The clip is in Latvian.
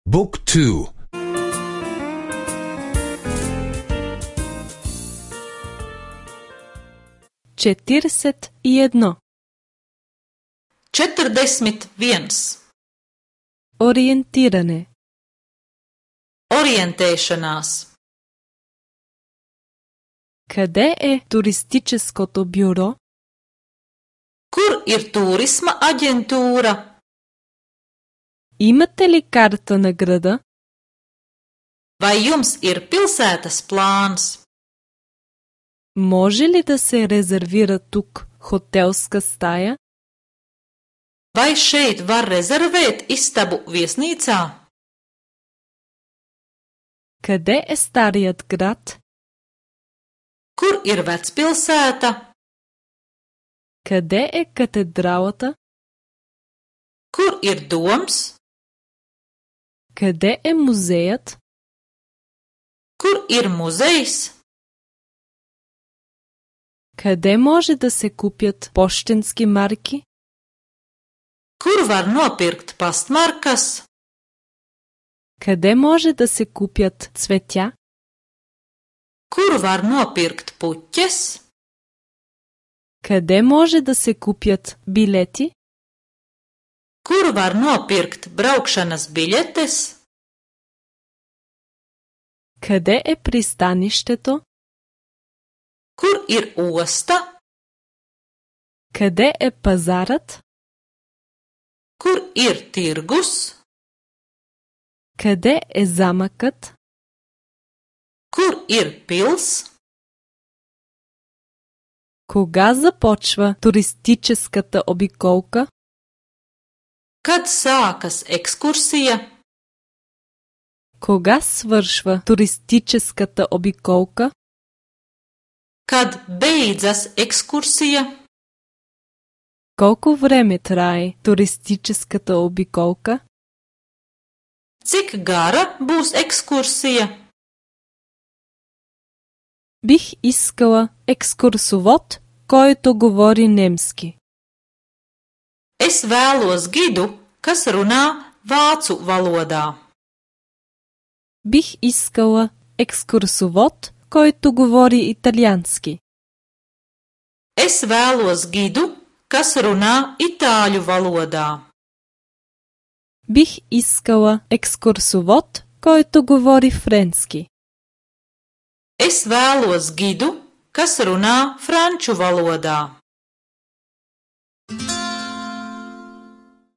Book 2. 41. 41. Orijentirane. Orientēšanās. Къде е туристическото бюро? Kur ir turisma aģentūra? Имате ли карта на града? Vai jums ir pilsētas plāns? Може ли да се резервира тук хотелска стая? Vai šeit var rezervēt istabu viesnīcā? Къде е старият град? Kur ir vecpilsēta? Къде е катедралата? Kur ir doms? Къде е музеят? Kur ir muzejs? Къде може да се купят пощенски марки? Kur var nopirkt pastmarkas? Къде може да се купят цветя? Kur var nopirkt puķes? Къде може да се купят билети? Kur var nopirkt braukšanas biļetes? Къде е пристанището? Kur ir osta? Къде е пазарът? Kur ir tirgus? Къде е замъкът? Kur ir pils? Кога започва туристическата обиколка? Kad sākas ekskursija? Кога свършва туристическата обиколка? Kad beidzas ekskursija? Колко време трае туристическата обиколка? Cik gara būs ekskursija? Бих искала екскурсовод, който говори немски. Es vēlos gidu, kas runā vācu valodā. Бих искала екскурсовод, който говори италиански. Es vēlos gidu, kas runā itāļu valodā. Бих искала екскурсовод, който говори френски. Es vēlos gidu, kas runā franču valodā.